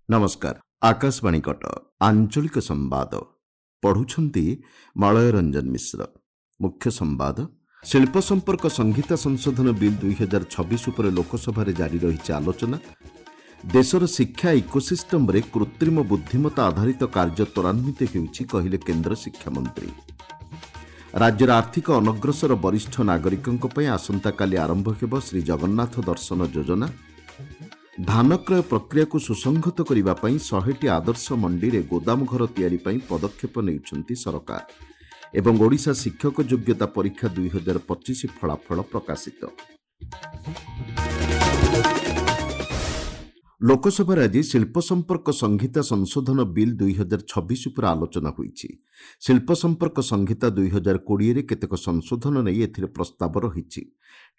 ନମସ୍କାର, ଆକାଶବାଣୀ କଟକ, ଆଞ୍ଚଳିକ ସମ୍ବାଦ ପଢୁଛନ୍ତି ମଳୟ ରଞ୍ଜନ ମିଶ୍ର। ମୁଖ୍ୟ ସମ୍ବାଦ। ଶିଳ୍ପ ସମ୍ପର୍କ ସଂହିତା ସଂଶୋଧନ ବିଲ୍ 2026 ଉପରେ ଲୋକସଭାରେ ଜାରି ରହିଛି ଆଲୋଚନା। ଦେଶର ଶିକ୍ଷା ଇକୋସିଷ୍ଟମରେ କୃତ୍ରିମ ବୁଦ୍ଧିମତ୍ତା ଆଧାରିତ କାର୍ଯ୍ୟ ତ୍ୱରାନ୍ୱିତ ହେଉଛି, କହିଲେ କେନ୍ଦ୍ର ଶିକ୍ଷାମନ୍ତ୍ରୀ। ରାଜ୍ୟର ଆର୍ଥିକ ଅନଗ୍ରସର ବରିଷ୍ଠ ନାଗରିକଙ୍କ ପାଇଁ ଆସନ୍ତାକାଲି ଆରମ୍ଭ ହେବ ଶ୍ରୀଜଗନ୍ନାଥ ଦର୍ଶନ ଯୋଜନା। ଧାନ କ୍ରୟ ପ୍ରକ୍ରିୟାକୁ ସୁସଂହତ କରିବା ପାଇଁ 100ଟି ଆଦର୍ଶ ମଣ୍ଡିରେ ଗୋଦାମ ଘର ତିଆରି ପାଇଁ ପଦକ୍ଷେପ ନେଉଛନ୍ତି ସରକାର। ଏବଂ ଓଡ଼ିଶା ଶିକ୍ଷକ ଯୋଗ୍ୟତା ପରୀକ୍ଷା 2025 ଫଳାଫଳ ପ୍ରକାଶିତ। ଲୋକସଭାରେ ଆଜି ଶିଳ୍ପ ସମ୍ପର୍କ ସଂହିତା ସଂଶୋଧନ ବିଲ୍ 2026 ଉପରେ ଆଲୋଚନା ହୋଇଛି। ଶିଳ୍ପ ସମ୍ପର୍କ ସଂହିତା 2020ରେ କେତେକ ସଂଶୋଧନ ନେଇ ଏଥିରେ ପ୍ରସ୍ତାବ ରହିଛି।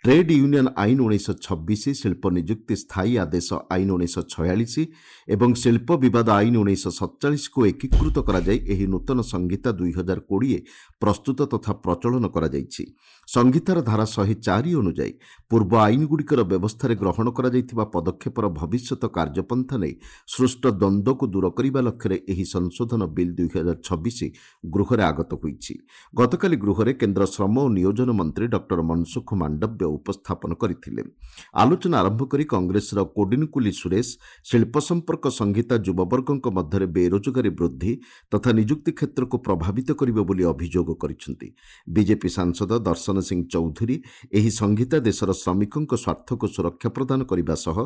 ଟ୍ରେଡ୍ ୟୁନିୟନ ଆଇନ 1926, ଶିଳ୍ପ ନିଯୁକ୍ତି ସ୍ଥାୟୀ ଆଦେଶ ଆଇନ 1946 ଏବଂ ଶିଳ୍ପ ବିବାଦ ଆଇନ 1947କୁ ଏକୀକୃତ କରାଯାଇ ଏହି ନୂତନ ସଂହିତା 2020 ପ୍ରସ୍ତୁତ ତଥା ପ୍ରଚଳନ କରାଯାଇଛି। ସଂହିତାର ଧାରା 104 ଅନୁଯାୟୀ ପୂର୍ବ ଆଇନଗୁଡ଼ିକର ବ୍ୟବସ୍ଥାରେ ଗ୍ରହଣ କରାଯାଇଥିବା ପଦକ୍ଷେପର ଭବିଷ୍ୟତ କାର୍ଯ୍ୟପନ୍ଥା ନେଇ ସୃଷ୍ଟ ଦ୍ୱନ୍ଦ୍ୱକୁ ଦୂର କରିବା ଲକ୍ଷ୍ୟରେ ଏହି ସଂଶୋଧନ ବିଲ୍ 2026 ଗୃହରେ ଆଗତ ହୋଇଛି। ଗତକାଲି ଗୃହରେ କେନ୍ଦ୍ର ଶ୍ରମ ଓ ନିୟୋଜନ ମନ୍ତ୍ରୀ ଡକ୍ଟର ମନସୁଖ ମାଣ୍ଡବ୍ୟ ଉପସ୍ଥାପନ କରିଥିଲେ। ଆଲୋଚନା ଆରମ୍ଭ କରି କଂଗ୍ରେସର କୋଡିନକୁଲି ସୁରେଶ ଶିଳ୍ପ ସମ୍ପର୍କ ସଂହିତା ଯୁବବର୍ଗଙ୍କ ମଧ୍ୟରେ ବେରୋଜଗାରୀ ବୃଦ୍ଧି ତଥା ନିଯୁକ୍ତି କ୍ଷେତ୍ରକୁ ପ୍ରଭାବିତ କରିବ ବୋଲି ଅଭିଯୋଗ କରିଛନ୍ତି। ବିଜେପି ସାଂସଦ ଦର୍ଶନ ସିଂ ଚୌଧୁରୀ ଏହି ସଂହିତା ଦେଶର ଶ୍ରମିକଙ୍କ ସ୍ୱାର୍ଥକୁ ସୁରକ୍ଷା ପ୍ରଦାନ କରିବା ସହ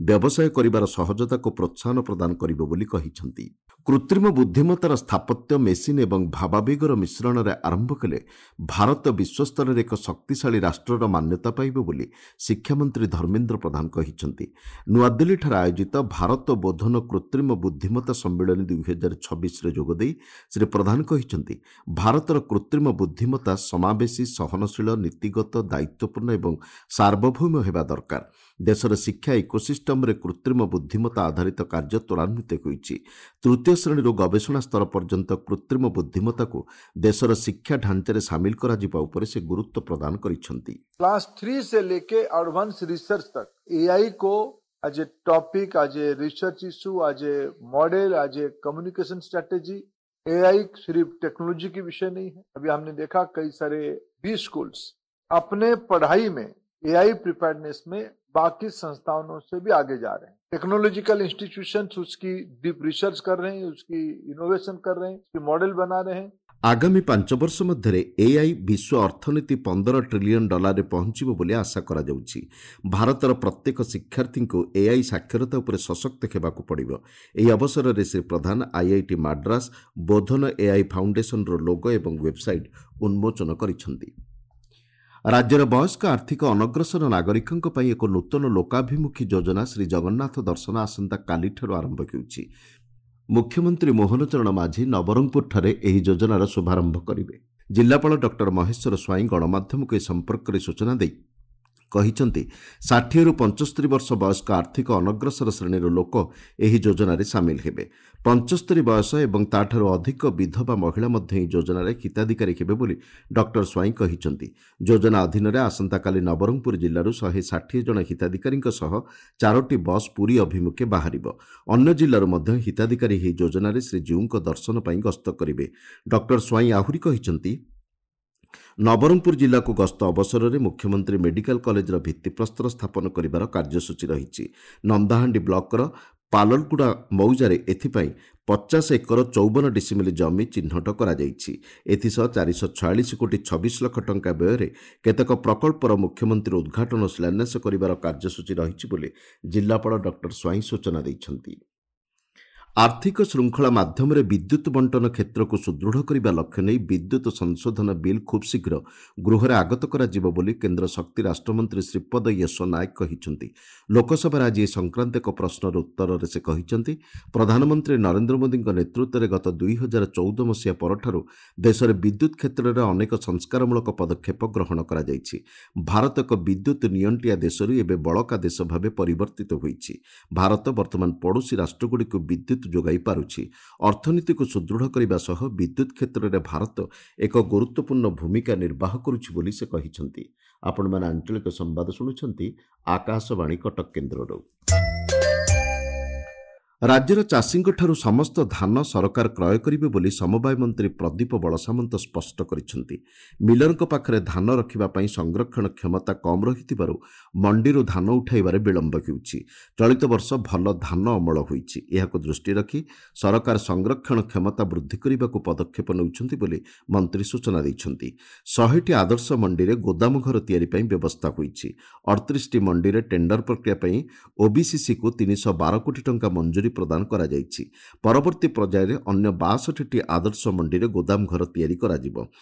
ବ୍ୟବସାୟ କରିବାର ସହଜତାକୁ ପ୍ରୋତ୍ସାହନ ପ୍ରଦାନ କରିବ ବୋଲି କହିଛନ୍ତି। କୃତ୍ରିମ ବୁଦ୍ଧିମତ୍ତାର ସ୍ଥାପତ୍ୟ, ମେସିନ୍ ଏବଂ ଭାବାବେଗର ମିଶ୍ରଣରେ ଆରମ୍ଭ କଲେ ଭାରତ ବିଶ୍ୱସ୍ତରରେ ଏକ ଶକ୍ତିଶାଳୀ ରାଷ୍ଟ୍ରର ମାନ୍ୟତା ପାଇବ ବୋଲି ଶିକ୍ଷାମନ୍ତ୍ରୀ ଧର୍ମେନ୍ଦ୍ର ପ୍ରଧାନ କହିଛନ୍ତି। ନୂଆଦିଲ୍ଲୀଠାରେ ଆୟୋଜିତ ଭାରତ ବୋଧନ କୃତ୍ରିମ ବୁଦ୍ଧିମତ୍ତା ସମ୍ମିଳନୀ 2026ରେ ଯୋଗଦେଇ ଶ୍ରୀ ପ୍ରଧାନ କହିଛନ୍ତି, ଭାରତର କୃତ୍ରିମ ବୁଦ୍ଧିମତ୍ତା ସମାବେଶୀ, ସହନଶୀଳ, ନୀତିଗତ, ଦାୟିତ୍ୱପୂର୍ଣ୍ଣ ଏବଂ ସାର୍ବଭୌମ ହେବା ଦରକାର। ଦେଶର ଶିକ୍ଷା ଇକୋସିଷ୍ଟମରେ କୃତ୍ରିମ ବୁଦ୍ଧିମତ୍ତା ଆଧାରିତ କାର୍ଯ୍ୟ ତ୍ୱରାନ୍ୱିତ ହୋଇଛି। ତୃତୀୟ ଶ୍ରେଣୀରୁ ଗବେଷଣା ସ୍ତର ପର୍ଯ୍ୟନ୍ତ କୃତ୍ରିମ ବୁଦ୍ଧିମତ୍ତାକୁ ଦେଶର ଶିକ୍ଷା ଢାଞ୍ଚାରେ ସାମିଲ କରାଯିବା ଉପରେ ସେ ଗୁରୁତ୍ୱ ପ୍ରଦାନ କରିଛନ୍ତି। क्लास 3 से लेके एडवांस रिसर्च तक एआई को as a topic, as a research issue, as a model, as a communication strategy. AI सिर्फ टेक्नोलॉजी की विषय नहीं है। अभी हमने देखा कई सारे बी स्कूल्स अपने पढ़ाई में एआई प्रिपेयर्डनेस में बाकी संस्थानों से भी आगे जा रहे हैं। टेक्नोलॉजिकल इंस्टीट्यूशंस उसकी डीप रिसर्च कर रहे हैं, उसकी इनोवेशन कर रहे हैं, उसकी मॉडल बना रहे हैं। ଆଗାମୀ 5 ବର୍ଷ ମଧ୍ୟରେ ଏଆଇ ବିଶ୍ୱ ଅର୍ଥନୀତି 15 ଟ୍ରିଲିୟନ ଡଲାରରେ ପହଞ୍ଚିବ ବୋଲି ଆଶା କରାଯାଉଛି। ଭାରତର ପ୍ରତ୍ୟେକ ଶିକ୍ଷାର୍ଥୀଙ୍କୁ ଏଆଇ ସାକ୍ଷରତା ଉପରେ ସଶକ୍ତ ହେବାକୁ ପଡ଼ିବ। ଏହି ଅବସରରେ ଶ୍ରୀ ପ୍ରଧାନ ଆଇଆଇଟି ମାଡ୍ରାସ ବୋଧନ ଏଆଇ ଫାଉଣ୍ଡେସନର ଲୋଗୋ ଏବଂ ୱେବସାଇଟ୍ ଉନ୍ମୋଚନ କରିଛନ୍ତି। ରାଜ୍ୟର ବୟସ୍କ ଆର୍ଥିକ ଅନଗ୍ରସର ନାଗରିକଙ୍କ ପାଇଁ ଏକ ନୂତନ ଲୋକାଭିମୁଖୀ ଯୋଜନା ଶ୍ରୀ ଜଗନ୍ନାଥ ଦର୍ଶନ ଆସନ୍ତାକାଲିଠାରୁ ଆରମ୍ଭ ହେଉଛି। ମୁଖ୍ୟମନ୍ତ୍ରୀ ମୋହନ ଚରଣ ମାଝୀ ନବରଙ୍ଗପୁରଠାରେ ଏହି ଯୋଜନାର ଶୁଭାରମ୍ଭ କରିବେ। ଜିଲ୍ଲାପାଳ ଡକ୍ଟର ମହେଶ୍ୱର ସ୍ୱାଇଁ ଗଣମାଧ୍ୟମକୁ ଏ ସମ୍ପର୍କରେ ସୂଚନା ଦେଇ କହିଛନ୍ତି, 60ରୁ 75 ବର୍ଷ ବୟସ୍କ ଆର୍ଥିକ ଅନଗ୍ରସର ଶ୍ରେଣୀର ଲୋକ ଏହି ଯୋଜନାରେ ସାମିଲ ହେବେ। 75 ବୟସ ଏବଂ ତାଠାରୁ ଅଧିକ ବିଧବା ମହିଳା ମଧ୍ୟ ଏହି ଯୋଜନାରେ ହିତାଧିକାରୀ ହେବେ ବୋଲି ଡକ୍ଟର ସ୍ୱାଇଁ କହିଛନ୍ତି। ଯୋଜନା ଅଧୀନରେ ଆସନ୍ତାକାଲି ନବରଙ୍ଗପୁର ଜିଲ୍ଲାରୁ 160 ଜଣ ହିତାଧିକାରୀଙ୍କ ସହ 4ଟି ବସ୍ ପୁରୀ ଅଭିମୁଖେ ବାହାରିବ। ଅନ୍ୟ ଜିଲ୍ଲାରୁ ମଧ୍ୟ ହିତାଧିକାରୀ ଏହି ଯୋଜନାରେ ଶ୍ରୀଜୀଉଙ୍କ ଦର୍ଶନ ପାଇଁ ଗସ୍ତ କରିବେ। ଡକ୍ଟର ସ୍ୱାଇଁ ଆହୁରି କହିଛନ୍ତି, ନବରଙ୍ଗପୁର ଜିଲ୍ଲାକୁ ଗସ୍ତ ଅବସରରେ ମୁଖ୍ୟମନ୍ତ୍ରୀ ମେଡିକାଲ କଲେଜର ଭିତ୍ତିପ୍ରସ୍ତର ସ୍ଥାପନ କରିବାର କାର୍ଯ୍ୟସୂଚୀ ରହିଛି। ନନ୍ଦାହାଣ୍ଡି ବ୍ଲକର ପାଲଲଗୁଡ଼ା ମୌଜାରେ ଏଥିପାଇଁ 50 ଏକର 54 ଡିସିମିଲ ଜମି ଚିହ୍ନଟ କରାଯାଇଛି। ଏଥିସହ 446 କୋଟି 26 ଲକ୍ଷ ଟଙ୍କା ବ୍ୟୟରେ କେତେକ ପ୍ରକଳ୍ପର ମୁଖ୍ୟମନ୍ତ୍ରୀ ଉଦ୍ଘାଟନ ଓ ଶିଳାନ୍ୟାସ କରିବାର କାର୍ଯ୍ୟସୂଚୀ ରହିଛି ବୋଲି ଜିଲ୍ଲାପାଳ ଡକ୍ଟର ସ୍ୱାଇଁ ସୂଚନା ଦେଇଛନ୍ତି। ଆର୍ଥିକ ଶୃଙ୍ଖଳା ମାଧ୍ୟମରେ ବିଦ୍ୟୁତ ବଣ୍ଟନ କ୍ଷେତ୍ରକୁ ସୁଦୃଢ଼ କରିବା ଲକ୍ଷ୍ୟ ନେଇ ବିଦ୍ୟୁତ ସଂଶୋଧନ ବିଲ୍ ଖୁବ୍ ଶୀଘ୍ର ଗୃହରେ ଆଗତ କରାଯିବ ବୋଲି କେନ୍ଦ୍ର ଶକ୍ତି ରାଷ୍ଟ୍ରମନ୍ତ୍ରୀ ଶ୍ରୀପଦ ୟଶୋ ନାୟକ କହିଛନ୍ତି। ଲୋକସଭାରେ ଆଜି ଏ ସଂକ୍ରାନ୍ତ ଏକ ପ୍ରଶ୍ନର ଉତ୍ତରରେ ସେ କହିଛନ୍ତି, ପ୍ରଧାନମନ୍ତ୍ରୀ ନରେନ୍ଦ୍ର ମୋଦିଙ୍କ ନେତୃତ୍ୱରେ ଗତ 2014 ମସିହା ପରଠାରୁ ଦେଶରେ ବିଦ୍ୟୁତ କ୍ଷେତ୍ରରେ ଅନେକ ସଂସ୍କାରମୂଳକ ପଦକ୍ଷେପ ଗ୍ରହଣ କରାଯାଇଛି। ଭାରତ ଏକ ବିଦ୍ୟୁତ ନିଅଣ୍ଟିଆ ଦେଶରୁ ଏବେ ବଳକା ଦେଶ ଭାବେ ପରିବର୍ତ୍ତିତ ହୋଇଛି। ଭାରତ ବର୍ତ୍ତମାନ ପଡ଼ୋଶୀ ରାଷ୍ଟ୍ରଗୁଡ଼ିକୁ ବିଦ୍ୟୁତ ଯୋଗାଇ ପାରୁଛି। ଅର୍ଥନୀତିକୁ ସୁଦୃଢ଼ କରିବା ସହ ବିଦ୍ୟୁତ କ୍ଷେତ୍ରରେ ଭାରତ ଏକ ଗୁରୁତ୍ୱପୂର୍ଣ୍ଣ ଭୂମିକା ନିର୍ବାହ କରୁଛି ବୋଲି ସେ କହିଛନ୍ତି। ଆପଣମାନେ ଆଞ୍ଚଳିକ ସମ୍ବାଦ ଶୁଣୁଛନ୍ତି ଆକାଶବାଣୀ କଟକ କେନ୍ଦ୍ରରୁ। ରାଜ୍ୟର ଚାଷୀଙ୍କଠାରୁ ସମସ୍ତ ଧାନ ସରକାର କ୍ରୟ କରିବେ ବୋଲି ସମବାୟ ମନ୍ତ୍ରୀ ପ୍ରଦୀପ ବଳସାମନ୍ତ ସ୍ପଷ୍ଟ କରିଛନ୍ତି। ମିଲରଙ୍କ ପାଖରେ ଧାନ ରଖିବା ପାଇଁ ସଂରକ୍ଷଣ କ୍ଷମତା କମ୍ ରହିଥିବାରୁ ମଣ୍ଡିରୁ ଧାନ ଉଠାଇବାରେ ବିଳମ୍ବ ହେଉଛି। ଚଳିତ ବର୍ଷ ଭଲ ଧାନ ଅମଳ ହୋଇଛି। ଏହାକୁ ଦୃଷ୍ଟିରେ ରଖି ସରକାର ସଂରକ୍ଷଣ କ୍ଷମତା ବୃଦ୍ଧି କରିବାକୁ ପଦକ୍ଷେପ ନେଉଛନ୍ତି ବୋଲି ମନ୍ତ୍ରୀ ସୂଚନା ଦେଇଛନ୍ତି। 100ଟି ଆଦର୍ଶ ମଣ୍ଡିରେ ଗୋଦାମ ଘର ତିଆରି ପାଇଁ ବ୍ୟବସ୍ଥା ହୋଇଛି। 38ଟି ମଣ୍ଡିରେ ଟେଣ୍ଡର ପ୍ରକ୍ରିୟା ପାଇଁ ଓବିସିସିକୁ 312 କୋଟି ଟଙ୍କା ମଞ୍ଜୁରୀ ପ୍ରଦାନ କରାଯାଇଛି। ପରବର୍ତ୍ତୀ ପର୍ଯ୍ୟାୟରେ ଅନ୍ୟ 62ଟି ଆଦର୍ଶ ମଣ୍ଡିରେ ଗୋଦାମ ଘର ତିଆରି କରାଯିବ।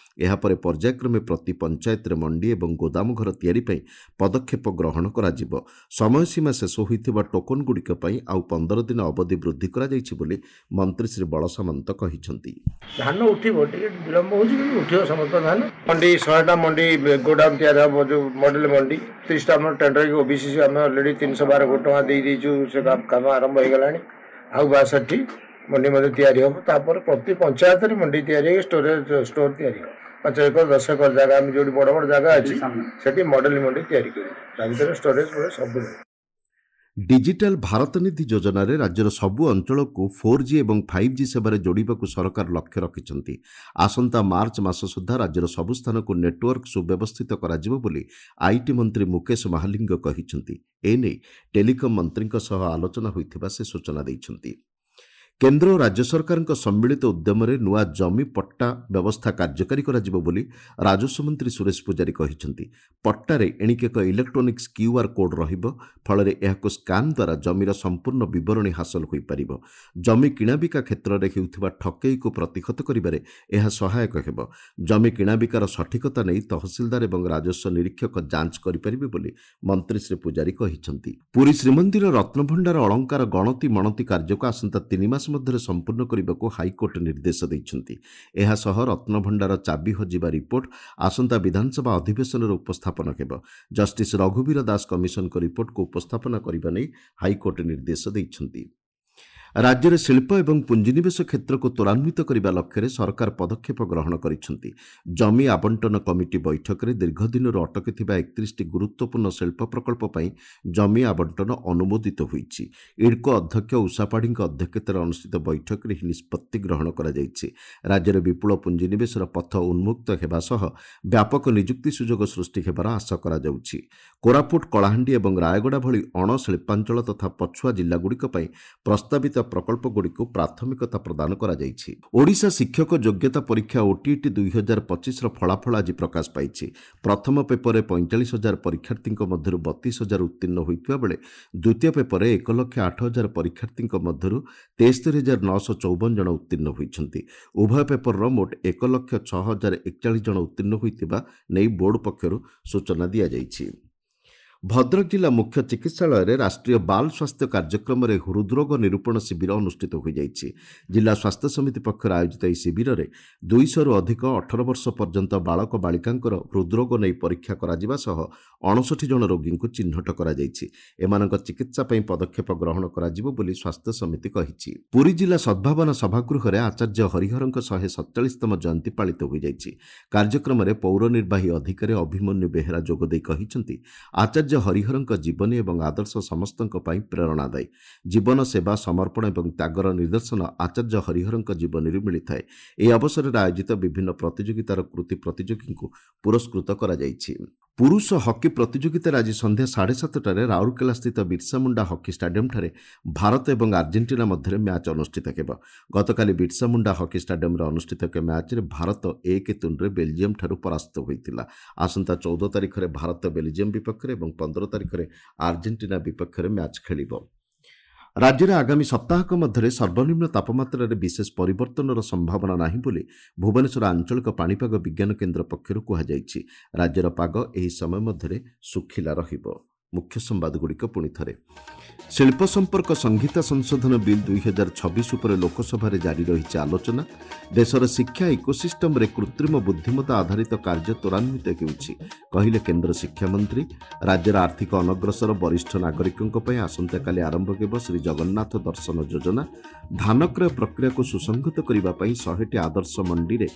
ଏହାପରେ ପର୍ଯ୍ୟାୟକ୍ରମେ ପ୍ରତି ପଞ୍ଚାୟତରେ ମଣ୍ଡି ଏବଂ ଗୋଦାମ ଘର ତିଆରି ପାଇଁ ପଦକ୍ଷେପ ଗ୍ରହଣ କରାଯିବ। ସମୟସୀମା ଶେଷ ହୋଇଥିବା ଟୋକନଗୁଡ଼ିକ ପାଇଁ ଆଉ 15 ଦିନ ଅବଧି ବୃଦ୍ଧି କରାଯାଇଛି ବୋଲି ମନ୍ତ୍ରୀ ଶ୍ରୀ ବଳସାମନ୍ତ କହିଛନ୍ତି। ଧାନ ଉଠିବ, ଟିକେ ବିଳମ୍ବ ହେଉଛି କିନ୍ତୁ ଉଠିବ ସମସ୍ତ ଧାନ। ମଣ୍ଡି 100ଟା ମଣ୍ଡି ଗୋଦାମ ତିଆରି ହେବ, ଯେଉଁ ମଡେଲ ମଣ୍ଡି 30ଟା ଆମର ଟେଣ୍ଡର ହେଇକି ଓବିସିସି ଆମେ ଅଲରେଡ଼ି 312 କୋଟି ଟଙ୍କା ଦେଇଦେଇଛୁ, ସେ କାମ ଆରମ୍ଭ ହେଇଗଲାଣି। ଆଉ 62 ମଣ୍ଡି ମଧ୍ୟ ତିଆରି ହେବ। ତାପରେ ପ୍ରତି ପଞ୍ଚାୟତରେ ମଣ୍ଡି ତିଆରି ହେଇକି ଷ୍ଟୋରେଜ ଷ୍ଟୋର ତିଆରି ହେବ। 5 ଏକର 10 ଏକର ଜାଗା ଆମେ ଯେଉଁଠି ବଡ଼ ବଡ଼ ଜାଗା ଅଛି ସେଠି ମଡେଲ ମଣ୍ଡି ତିଆରି କରିବୁ, ତା ଭିତରେ ଷ୍ଟୋରେଜ ସବୁ ରହିବ। ଡିଜିଟାଲ ଭାରତ ନିଧି ଯୋଜନାରେ ରାଜ୍ୟର ସବୁ ଅଞ୍ଚଳକୁ 4G ଏବଂ 5G ସେବାରେ ଯୋଡ଼ିବାକୁ ସରକାର ଲକ୍ଷ୍ୟ ରଖିଛନ୍ତି। ଆସନ୍ତା ମାର୍ଚ୍ଚ ମାସ ସୁଦ୍ଧା ରାଜ୍ୟର ସବୁ ସ୍ଥାନକୁ ନେଟୱାର୍କ ସୁବ୍ୟବସ୍ଥିତ କରାଯିବ ବୋଲି IT ମନ୍ତ୍ରୀ ମୁକେଶ ମହାଲିଙ୍ଗ କହିଛନ୍ତି। ଏନେଇ ଟେଲିକମ୍ ମନ୍ତ୍ରୀଙ୍କ ସହ ଆଲୋଚନା ହୋଇଥିବା ସେ ସୂଚନା ଦେଇଛନ୍ତି। କେନ୍ଦ୍ର ଓ ରାଜ୍ୟ ସରକାରଙ୍କ ସମ୍ମିଳିତ ଉଦ୍ୟମରେ ନୂଆ ଜମି ପଟ୍ଟା ବ୍ୟବସ୍ଥା କାର୍ଯ୍ୟକାରୀ କରାଯିବ ବୋଲି ରାଜସ୍ୱ ମନ୍ତ୍ରୀ ସୁରେଶ ପୂଜାରୀ କହିଛନ୍ତି। ପଟ୍ଟାରେ ଏଣିକି ଏକ ଇଲେକ୍ଟ୍ରୋନିକ୍ସ କ୍ୟୁଆର୍ କୋଡ୍ ରହିବ, ଫଳରେ ଏହାକୁ ସ୍କାନ୍ ଦ୍ୱାରା ଜମିର ସମ୍ପୂର୍ଣ୍ଣ ବିବରଣୀ ହାସଲ ହୋଇପାରିବ। ଜମି କିଣାବିକା କ୍ଷେତ୍ରରେ ହେଉଥିବା ଠକେଇକୁ ପ୍ରତିହତ କରିବାରେ ଏହା ସହାୟକ ହେବ। ଜମି କିଣାବିକାର ସଠିକତା ନେଇ ତହସିଲଦାର ଏବଂ ରାଜସ୍ୱ ନିରୀକ୍ଷକ ଯାଞ୍ଚ କରିପାରିବେ ବୋଲି ମନ୍ତ୍ରୀ ଶ୍ରୀ ପୂଜାରୀ କହିଛନ୍ତି। ପୁରୀ ଶ୍ରୀମନ୍ଦିର ରତ୍ନଭଣ୍ଡାର ଅଳଙ୍କାର ଗଣତି ମଣତି କାର୍ଯ୍ୟକୁ ଆସନ୍ତା 3 ମାସ ମଧ୍ୟରେ ସମ୍ପୂର୍ଣ୍ଣ କରିବାକୁ ହାଇକୋର୍ଟ ନିର୍ଦ୍ଦେଶ ଦେଇଛନ୍ତି। ଏହାସହ ରତ୍ନଭଣ୍ଡାର ଚାବି ହଜିବା ରିପୋର୍ଟ ଆସନ୍ତା ବିଧାନସଭା ଅଧିବେଶନରେ ଉପସ୍ଥାପନ ହେବ। ଜଷ୍ଟିସ୍ ରଘୁବୀର ଦାସ କମିଶନଙ୍କ ରିପୋର୍ଟକୁ ଉପସ୍ଥାପନା କରିବା ନେଇ ହାଇକୋର୍ଟ ନିର୍ଦ୍ଦେଶ ଦେଇଛନ୍ତି। ରାଜ୍ୟରେ ଶିଳ୍ପ ଏବଂ ପୁଞ୍ଜିନିବେଶ କ୍ଷେତ୍ରକୁ ତ୍ୱରାନ୍ୱିତ କରିବା ଲକ୍ଷ୍ୟରେ ସରକାର ପଦକ୍ଷେପ ଗ୍ରହଣ କରିଛନ୍ତି। ଜମି ଆବଣ୍ଟନ କମିଟି ବୈଠକରେ ଦୀର୍ଘଦିନରୁ ଅଟକିଥିବା 31ଟି ଗୁରୁତ୍ୱପୂର୍ଣ୍ଣ ଶିଳ୍ପ ପ୍ରକଳ୍ପ ପାଇଁ ଜମି ଆବଣ୍ଟନ ଅନୁମୋଦିତ ହୋଇଛି। ଇଡ୍କୋ ଅଧ୍ୟକ୍ଷ ଉଷା ପାଢ଼ୀଙ୍କ ଅଧ୍ୟକ୍ଷତାରେ ଅନୁଷ୍ଠିତ ବୈଠକରେ ଏହି ନିଷ୍ପତ୍ତି ଗ୍ରହଣ କରାଯାଇଛି। ରାଜ୍ୟରେ ବିପୁଳ ପୁଞ୍ଜିନିବେଶର ପଥ ଉନ୍ମୁକ୍ତ ହେବା ସହ ବ୍ୟାପକ ନିଯୁକ୍ତି ସୁଯୋଗ ସୃଷ୍ଟି ହେବାର ଆଶା କରାଯାଉଛି। କୋରାପୁଟ, କଳାହାଣ୍ଡି ଏବଂ ରାୟଗଡ଼ା ଭଳି ଅଣଶିଳ୍ପାଞ୍ଚଳ ତଥା ପଛୁଆ ଜିଲ୍ଲାଗୁଡ଼ିକ ପାଇଁ ପ୍ରସ୍ତାବିତ ପ୍ରକଳ୍ପଗୁଡ଼ିକୁ ପ୍ରାଥମିକତା ପ୍ରଦାନ କରାଯାଇଛି। ଓଡ଼ିଶା ଶିକ୍ଷକ ଯୋଗ୍ୟତା ପରୀକ୍ଷା ଓଟିଇଟି 2025ର ଫଳାଫଳ ଆଜି ପ୍ରକାଶ ପାଇଛି। ପ୍ରଥମ ପେପରରେ 45,000 ପରୀକ୍ଷାର୍ଥୀଙ୍କ ମଧ୍ୟରୁ 32,000 ଉତ୍ତୀର୍ଣ୍ଣ ହୋଇଥିବା ବେଳେ ଦ୍ୱିତୀୟ ପେପରରେ 1,08,000 ପରୀକ୍ଷାର୍ଥୀଙ୍କ ମଧ୍ୟରୁ 73,954 ଜଣ ଉତ୍ତୀର୍ଣ୍ଣ ହୋଇଛନ୍ତି। ଉଭୟ ପେପରର ମୋଟ 1,06,041 ଜଣ ଉତ୍ତୀର୍ଣ୍ଣ ହୋଇଥିବା ନେଇ ବୋର୍ଡ ପକ୍ଷରୁ ସୂଚନା ଦିଆଯାଇଛି। ଭଦ୍ରକ ଜିଲ୍ଲା ମୁଖ୍ୟ ଚିକିତ୍ସାଳୟରେ ରାଷ୍ଟ୍ରୀୟ ବାଲ ସ୍ୱାସ୍ଥ୍ୟ କାର୍ଯ୍ୟକ୍ରମରେ ହୃଦରୋଗ ନିରୂପଣ ଶିବିର ଅନୁଷ୍ଠିତ ହୋଇଯାଇଛି। ଜିଲ୍ଲା ସ୍ୱାସ୍ଥ୍ୟ ସମିତି ପକ୍ଷରୁ ଆୟୋଜିତ ଏହି ଶିବିରରେ 200ରୁ ଅଧିକ 18 ବର୍ଷ ପର୍ଯ୍ୟନ୍ତ ବାଳକ ବାଳିକାଙ୍କର ହୃଦରୋଗ ନେଇ ପରୀକ୍ଷା କରାଯିବା ସହ 59 ଜଣ ରୋଗୀଙ୍କୁ ଚିହ୍ନଟ କରାଯାଇଛି। ଏମାନଙ୍କ ଚିକିତ୍ସା ପାଇଁ ପଦକ୍ଷେପ ଗ୍ରହଣ କରାଯିବ ବୋଲି ସ୍ୱାସ୍ଥ୍ୟ ସମିତି କହିଛି। ପୁରୀ ଜିଲ୍ଲା ସଦ୍ଭାବନା ସଭାଗୃହରେ ଆଚାର୍ଯ୍ୟ ହରିହରଙ୍କ 147ତମ ଜୟନ୍ତୀ ପାଳିତ ହୋଇଯାଇଛି। କାର୍ଯ୍ୟକ୍ରମରେ ପୌର ନିର୍ବାହୀ ଅଧିକାରୀ ଅଭିମନ୍ୟୁ ବେହେରା ଯୋଗଦେଇ କହିଛନ୍ତି, ଆଚାର୍ଯ୍ୟ ହରିହରଙ୍କ ଜୀବନୀ ଏବଂ ଆଦର୍ଶ ସମସ୍ତଙ୍କ ପାଇଁ ପ୍ରେରଣାଦାୟୀ। ଜୀବନ, ସେବା, ସମର୍ପଣ ଏବଂ ତ୍ୟାଗର ନିଦର୍ଶନ ଆଚାର୍ଯ୍ୟ ହରିହରଙ୍କ ଜୀବନୀରୁ ମିଳିଥାଏ। ଏହି ଅବସରରେ ଆୟୋଜିତ ବିଭିନ୍ନ ପ୍ରତିଯୋଗିତାର କୃତି ପ୍ରତିଯୋଗୀଙ୍କୁ ପୁରସ୍କୃତ କରାଯାଇଛି। ପୁରୁଷ ହକି ପ୍ରତିଯୋଗିତାରେ ଆଜି ସନ୍ଧ୍ୟା 7:30ଟାରେ ରାଉରକେଲାସ୍ଥିତ ବିର୍ସା ମୁଣ୍ଡା ହକି ଷ୍ଟାଡିୟମ୍ଠାରେ ଭାରତ ଏବଂ ଆର୍ଜେଣ୍ଟିନା ମଧ୍ୟରେ ମ୍ୟାଚ୍ ଅନୁଷ୍ଠିତ ହେବ। ଗତକାଲି ବିର୍ସା ମୁଣ୍ଡା ହକି ଷ୍ଟାଡିୟମ୍ରେ ଅନୁଷ୍ଠିତ ଏକ ମ୍ୟାଚ୍ରେ ଭାରତ 1-0ରେ ବେଲଜିୟମ୍ଠାରୁ ପରାସ୍ତ ହୋଇଥିଲା। ଆସନ୍ତା 14 ତାରିଖରେ ଭାରତ ବେଲଜିୟମ୍ ବିପକ୍ଷରେ ଏବଂ 15 ତାରିଖରେ ଆର୍ଜେଣ୍ଟିନା ବିପକ୍ଷରେ ମ୍ୟାଚ୍ ଖେଳିବ। ରାଜ୍ୟରେ ଆଗାମୀ ସପ୍ତାହକ ମଧ୍ୟରେ ସର୍ବନିମ୍ନ ତାପମାତ୍ରାରେ ବିଶେଷ ପରିବର୍ତ୍ତନର ସମ୍ଭାବନା ନାହିଁ ବୋଲି ଭୁବନେଶ୍ୱର ଆଞ୍ଚଳିକ ପାଣିପାଗ ବିଜ୍ଞାନ କେନ୍ଦ୍ର ପକ୍ଷରୁ କୁହାଯାଇଛି। ରାଜ୍ୟର ପାଗ ଏହି ସମୟ ମଧ୍ୟରେ ଶୁଖିଲା ରହିବ। ମୁଖ୍ୟ ସମ୍ବାଦଗୁଡ଼ିକ ପୁଣି ଥରେ। ଶିଳ୍ପ ସମ୍ପର୍କ ସଂହିତା ସଂଶୋଧନ ବିଲ୍ 2026 ଉପରେ ଲୋକସଭାରେ ଜାରି ରହିଛି ଆଲୋଚନା। ଦେଶର ଶିକ୍ଷା ଇକୋସିଷ୍ଟମରେ କୃତ୍ରିମ ବୁଦ୍ଧିମତ୍ତା ଆଧାରିତ କାର୍ଯ୍ୟ ତ୍ୱରାନ୍ୱିତ ହେଉଛି, କହିଲେ କେନ୍ଦ୍ର ଶିକ୍ଷାମନ୍ତ୍ରୀ। ରାଜ୍ୟର ଆର୍ଥିକ ଅନଗ୍ରସର ବରିଷ୍ଠ ନାଗରିକଙ୍କ ପାଇଁ ଆସନ୍ତାକାଲି ଆରମ୍ଭ ହେବ ଶ୍ରୀ ଜଗନ୍ନାଥ ଦର୍ଶନ ଯୋଜନା। ଧାନକ୍ରୟ ପ୍ରକ୍ରିୟାକୁ ସୁସଂହତ କରିବା ପାଇଁ 100ଟି ଆଦର୍ଶ ମଣ୍ଡିରେ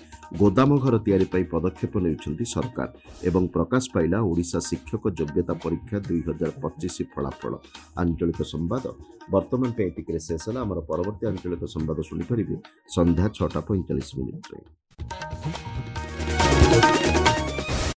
ଗୋଦାମ ଘର ତିଆରି ପାଇଁ ପଦକ୍ଷେପ ନେଉଛନ୍ତି ସରକାର। ଏବଂ ପ୍ରକାଶ ପାଇଲା ଓଡ଼ିଶା ଶିକ୍ଷକ ଯୋଗ୍ୟତା ପରୀକ୍ଷା 2025 ଫଳାଫଳ। ଆଞ୍ଚଳିକ ସମ୍ବାଦ ବର୍ତ୍ତମାନ ପାଇଁ ଏତିକିରେ ଶେଷ ହେଲା। ଆମର ପରବର୍ତ୍ତୀ ଆଞ୍ଚଳିକ ସମ୍ବାଦ ଶୁଣିପାରିବେ ସନ୍ଧ୍ୟା 6ଟା 45 ମିନିଟ୍ରେ।